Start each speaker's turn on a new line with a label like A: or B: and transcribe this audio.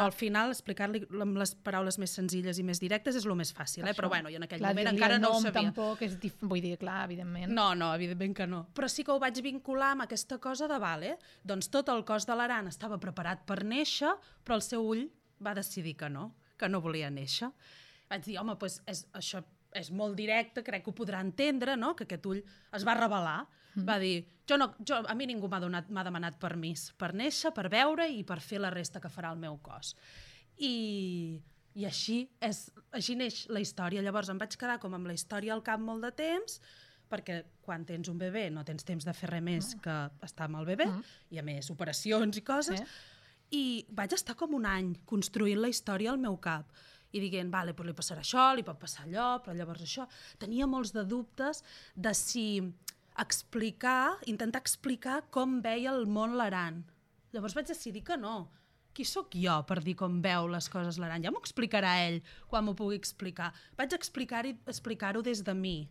A: Al final, explicar-li amb les paraules més senzilles i més directes és el més fàcil, però bueno, jo en aquell moment encara no ho sabia.
B: Tampoc és vull dir, clar, evidentment.
A: No, evidentment que no. Però sí que ho vaig vincular amb aquesta cosa de, doncs tot el cos de l'Aran estava preparat per néixer, però el seu ull va decidir que no volia néixer. Vaig dir, home, doncs això és molt directe, crec que ho podrà entendre, no?, que aquest ull es va revelar. Va dir, a mi ningú m'ha demanat permís per néixer, per veure i per fer la resta que farà el meu cos. I així neix la història. Llavors em vaig quedar com amb la història al cap molt de temps, perquè quan tens un bebè no tens temps de fer res més que estar amb el bebè, i a més operacions i coses, i vaig estar com un any construint la història al meu cap i dient, doncs li passarà això, li pot passar allò, però llavors això. Tenia molts de dubtes de si intentar explicar com veia el món l'Aran. Llavors vaig decidir que no. Qui sóc jo per dir com veu les coses l'Aran? Ja m'ho explicarà ell quan m'ho pugui explicar. Vaig explicar-ho des de mi.